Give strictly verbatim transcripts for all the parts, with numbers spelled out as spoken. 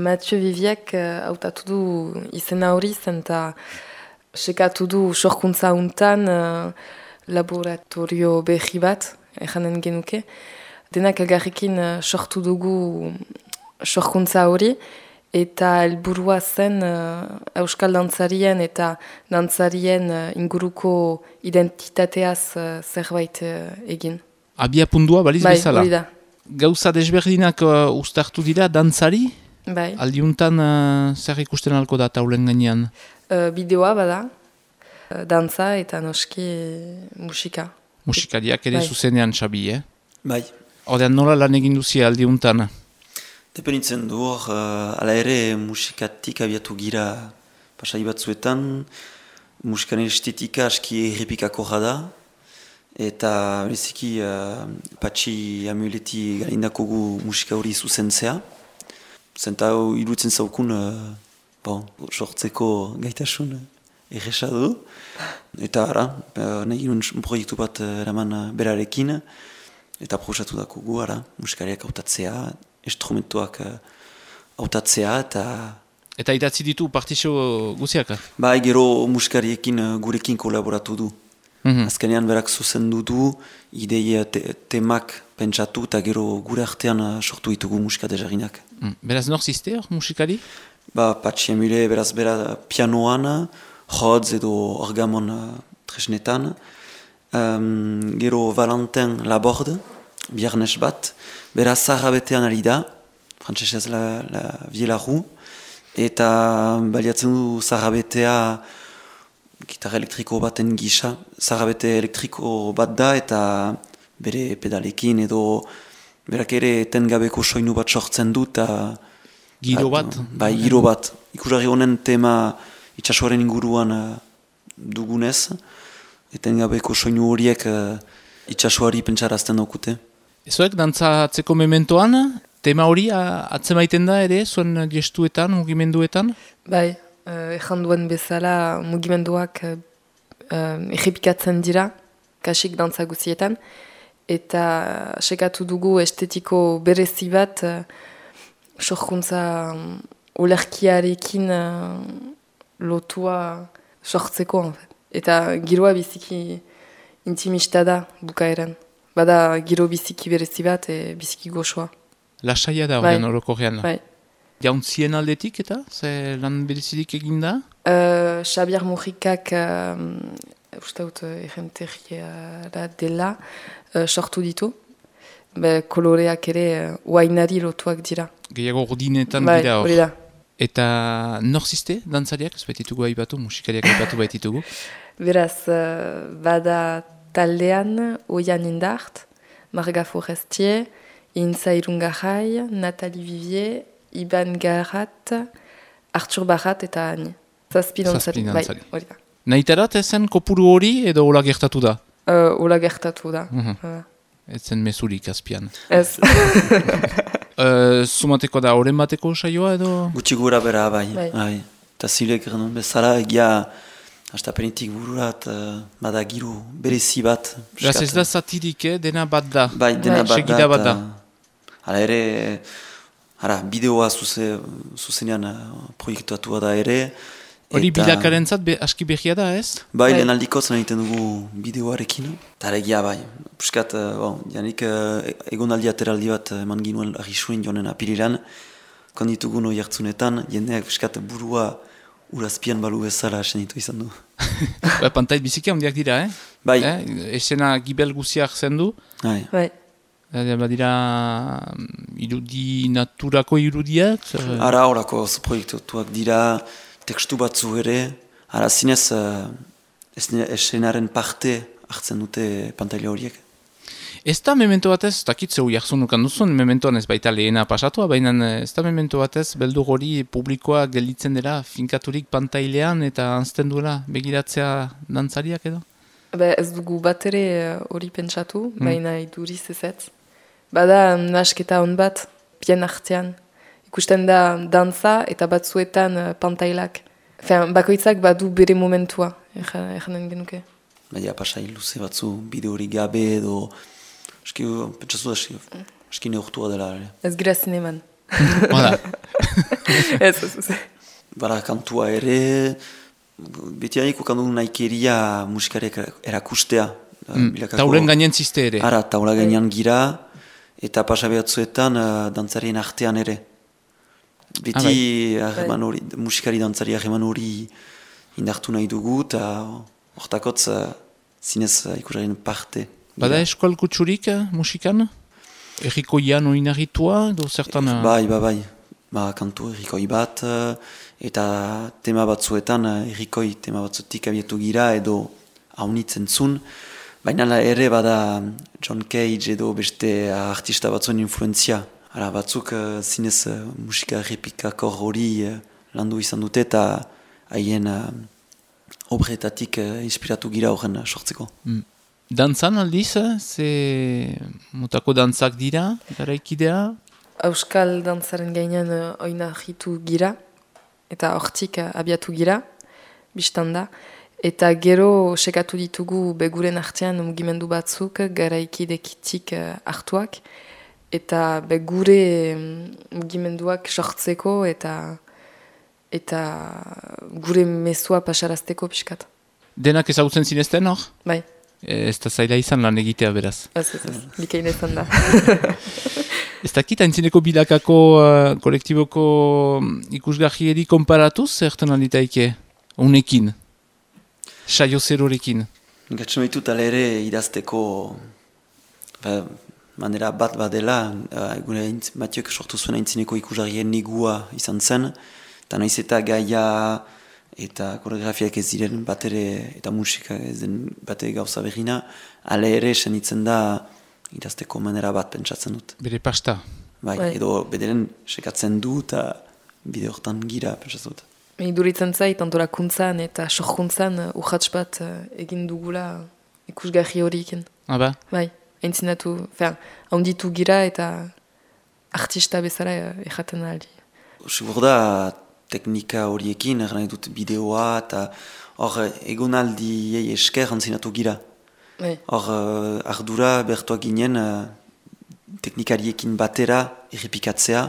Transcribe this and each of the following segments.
Mathieu Viviek hautatu du izena hori zen eta sekatu du sorkuntza untan uh, laboratorio behi bat, ejanen genuke. Denak elgarrekin uh, sortu dugu sorkuntza hori eta helburua zen uh, euskal dantzarien eta dantzarien uh, inguruko identitateaz uh, zerbait uh, egin. Abia pundua baliz bai, bezala? Hori da. Gauza desberdinak uh, ustartu dira dantzari? Bai. Aldiuntan uh, zer ikusten alko da taulen gainean? Uh, bideoa bada, uh, dantza eta noski musika. Musikariak ere bai. Zuzenean Xabi, eh? Bai. Odean nola lan egin duzia aldiuntan? Depenitzen du hor, uh, ala ere musikatik abiatu gira pasai batzuetan, musikaren estetika aski errepikako da, eta bereziki uh, Patxi Amuleti galindako gu musika hori zuzentzea. Zenta hau iruditzen zaukun, uh, bon, sortzeko gaitasun erresa du. Eta ara, uh, nahi ginen proiektu bat uh, eraman uh, berarekin, eta proposatu dako gu, ara, musikariak hautatzea, instrumentuak uh, hautatzea, eta... Eta idatzi ditu partizio guziak? Bai, gero musikariekin uh, gurekin kolaboratu du. Mm-hmm. Azkenean berak zuzendu du, ideia te temak pentsatu, eta gero gure artean uh, sortu ditugu musika dezaginak. Mm. Beraz nor ziste hor musikari? Ba, Patxi Amule, beraz bera pianoan, jodz edo orgamon uh, tresnetan. Um, gero Valentin Laborde, biarnes bat, bera zarrabetean ari da, frantzesez la, la Vielaru, eta baliatzen du zarrabetea gitarra elektriko baten gisa, zarrabete elektriko bat da, eta bere pedalekin edo berak ere etengabeko soinu bat sortzen du, eta... Giro bat? Bai, giro bat. Ikusarri honen tema itsasoaren inguruan uh, dugunez, etengabeko soinu horiek uh, itsasoari pentsarazten daukute. Ezoek dantzatzeko mementoan, tema hori atzemaiten da ere, zuen gestuetan, mugimenduetan? Bai, uh, ejan duen bezala mugimenduak uh, errepikatzen dira, kasik dantza guzietan, eta sekatu dugu estetiko berezi bat uh, sorkuntza um, olerkiarekin uh, lotua sortzeko, en fait. Eta giroa biziki intimista da bukaeran. Bada giro biziki berezi bat, e, biziki goxoa. Lasaia da bai. horren orokorrean. Bai. Jauntzien aldetik eta? Ze lan berezidik egin da? Uh, Xabier Mujikak, uh, uste dut errenteriara dela, uh, sortu ditu. Be, koloreak ere uh, uainari lotuak dira. Gehiago ordinetan bai, dira hor. Hori da. Eta nor ziste, dantzariak, ez baititugu haibatu, musikariak haibatu baititugu? Beraz, uh, bada taldean, Oian Indart, Marga Forestier, Intza Irungarrai, Nathalie Vivier, Iban Garat, Arthur Barrat eta Ani. Zazpi dantzari. Bai, hori da. Nahitarat ezen kopuru hori edo hola gertatu da? Uh, hola gertatu da. Uh-huh. uh. Ezen mesurik azpian. Ez. uh, Zumateko da, oren bateko saioa edo? Gutxi gura bera, bai. Bai. bai. Eta zilek erran bezala, egia astapenitik bururat, uh, bada giro berezi bat. Beraz ez da zatirik, eh? Dena bat da. Bai, dena bai. bat da. bat da. Hala ere, ara, bideoa zuze, zuzenean uh, proiektuatua da ere. Hori bilakaren zat, be, aski behia da, ez? Bai, bai. Lehen aldikoz egiten dugu bideoarekin. Eta egia bai, puskat, uh, bon, janik uh, egon aldi ateraldi bat eman ginuen arrisuen jonen apiriran. Konditugu noi hartzunetan, jendeak puskat burua urazpian balu bezala asenitu izan du. Ba, pantait bizikia handiak dira, eh? Bai. Eh? Esena gibel guziak zendu. Bai. Bai. Badira irudi naturako irudiak? Ara horako proiektuak dira, tekstu batzu ere, ara zinez uh, esenaren parte hartzen dute pantaila horiek. Ez da memento batez, takit zeu jarzunukan duzun, mementoan ez baita lehena pasatua, baina ez da memento batez, beldur hori publikoa gelditzen dela, finkaturik pantailean eta anzten duela begiratzea dantzariak edo? Be, ez dugu bat ere hori pentsatu, hmm. baina iduriz ezetz. Bada nasketa hon bat, bien artean. Ikusten da dantza eta batzuetan uh, pantailak. Fean, bakoitzak badu bere momentua, erranen genuke. Baina pasai luze batzu, bide hori gabe edo... Eski, pentsatu da, eski neurtua dela. Ez gira zineman. Hala. Ez, ez, ez. Bara, kantua ere, beti harik ukandu naikeria musikarek erakustea. Mm, taulen gainen ziste ere. Ara, taula gainean gira, eta pasabeatzuetan uh, dantzarien artean ere. Beti ah, bai. hori, musikari dantzari ahreman hori indartu nahi dugu, eta hortakotz uh, zinez uh, ikusaren parte. Bada eskual kutsurik uh, musikan? Erriko ian oinarritua, edo zertan... Uh... Bai, bai, bai. Ba, kantu errikoi bat, uh, eta tema batzuetan uh, errikoi tema batzutik abietu gira, edo haunitzen zun. Baina ere bada John Cage edo beste artista batzuen influenzia. Hala, batzuk uh, zinez uh, musika errepikakor hori uh, landu izan dute eta haien uh, obretatik uh, inspiratu gira horren uh, sortzeko. Mm. Dantzan aldiz, ze mutako dantzak dira, garaikidea? Euskal dantzaren gainean uh, oinarritu gira, eta hortik uh, abiatu gira, biztan da. Eta gero sekatu ditugu beguren artean mugimendu batzuk garaikidekitik uh, hartuak. Eta begure mugimenduak sortzeko eta eta gure mezua pasarazteko pixkat. Denak ezagutzen zinezten hor? Bai. Ez da zaila izan lan egitea beraz. Ez, ez, ez. Bikain ezan da. Ez dakit, haintzineko bilakako uh, kolektiboko ikusgarrieri konparatuz, zertan alditaike? Unekin? Saio zerorekin? Gatsen ditut ala ere idazteko ba, manera bat badela, uh, egune Matiok sortu zuen haintzineko ikusgarrien negua izan zen, eta naiz eta gaia eta koreografiak ez diren bat ere, eta musika ez den bat ere gauza berrina, ala ere senitzen da idazteko manera bat pentsatzen dut. Bere pasta? Bai, bai. Edo bederen sekatzen du eta bide hortan gira pentsatzen dut. Iduritzen zait, antolakuntzan eta sorkuntzan urratx bat egin dugula ikusgarri horiekin. Ah, ba? Bai, entzinatu, fer, haunditu gira eta artista bezala erraten aldi. Sigur da, teknika horiekin, erran dut bideoa eta hor egonaldiei esker antzinatu gira. Hor uh, ardura bertuak ginen uh, teknikariekin batera errepikatzea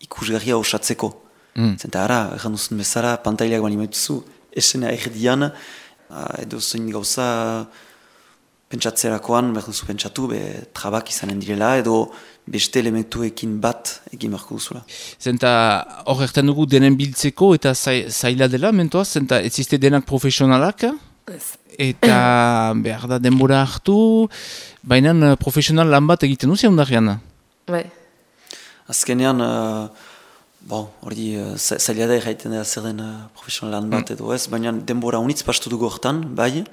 ikusgarria osatzeko. Mm. Zenta ara, erran duzun bezala, pantaileak bali maituzu, esena erdian, uh, edo zein gauza pentsatzerakoan, behar duzu pentsatu, be, trabak izanen direla, edo beste elementuekin bat egin marko duzula. Zenta hor erten dugu denen biltzeko eta zaila dela, mentoaz, zenta ez ziste denak profesionalak? Ez. Eta behar da denbora hartu, baina profesional lan bat egiten duzia ondarrian? Bai. Azkenean, uh, bon, hori uh, zaila da erraiten da zer den uh, profesional lan bat mm. edo ez, baina denbora unitz pastu dugu hortan, bai.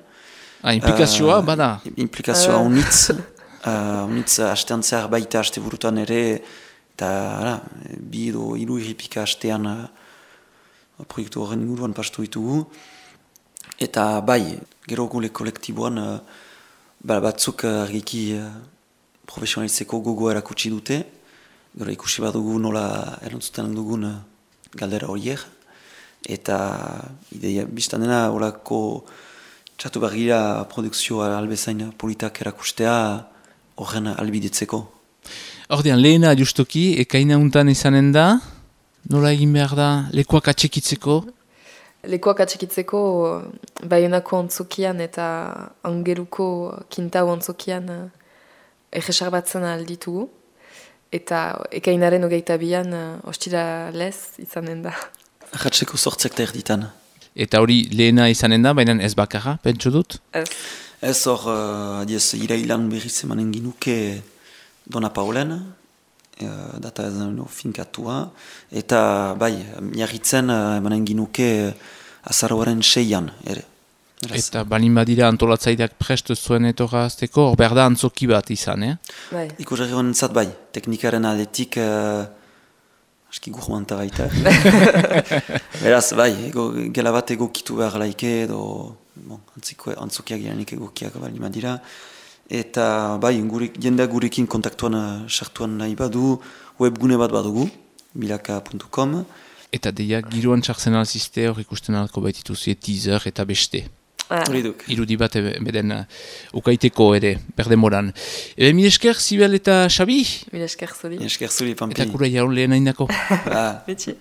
Ah, implikazioa, uh, bada? Implikazioa uh. unitz, uh, unitz hastean zehar baita haste burutan ere, eta ara, bi edo hiru irripika hastean uh, proiektu horren inguruan pastu ditugu. Eta bai, gero gule kolektiboan uh, batzuk uh, argiki uh, profesionalitzeko gogo erakutsi dute. Gero ikusi bat dugu nola erantzuten dugun uh, galdera horiek. Eta ideia biztan dena horako txatu bargira produkzioa albezain politak erakustea horren albidetzeko. Ordean, lehena justoki, ekaina untan izanen da, nola egin behar da lekuak atxekitzeko? Lekuak atxekitzeko Baionako ontzokian eta Angeruko Kintau ontzokian egesar batzen alditugu. Eta ekainaren hogeita bian ostira lez izanen da. Arratseko sortzek da erditan. Eta hori lehena izanen da, baina ez bakarra, pentsu dut? Ez. Ez hor, uh, adiez, irailan berriz emanen ginuke Dona Paulen, uh, data ez no, finkatua, eta bai, miarritzen uh, emanen ginuke azaroaren seian, ere. Eraz. Eta balin badira antolatzaileak prest zuen etorra azteko, hor behar da antzoki bat izan, eh? Bai. Ikusarri honen zat bai, teknikaren aldetik, uh, aski gurmanta baita. Beraz, bai, ego, gela bat egokitu behar laike, edo bon, antzokiak girenik egokiak balin badira. Eta bai, gure, jendea gurekin kontaktuan sartuan nahi badu, webgune bat badugu, bilaka puntu com. Eta deia, giroan txartzen alziste hor ikusten alko baitituzie teaser eta beste. Ah. Irudi bat beden uh, ukaiteko ere, berdemoran. Ebe, mil esker, Sibel eta Xabi? Mil esker zuri. Mil esker zuri, Pampi. Eta kura jaun lehen haindako. Ah. Betxi.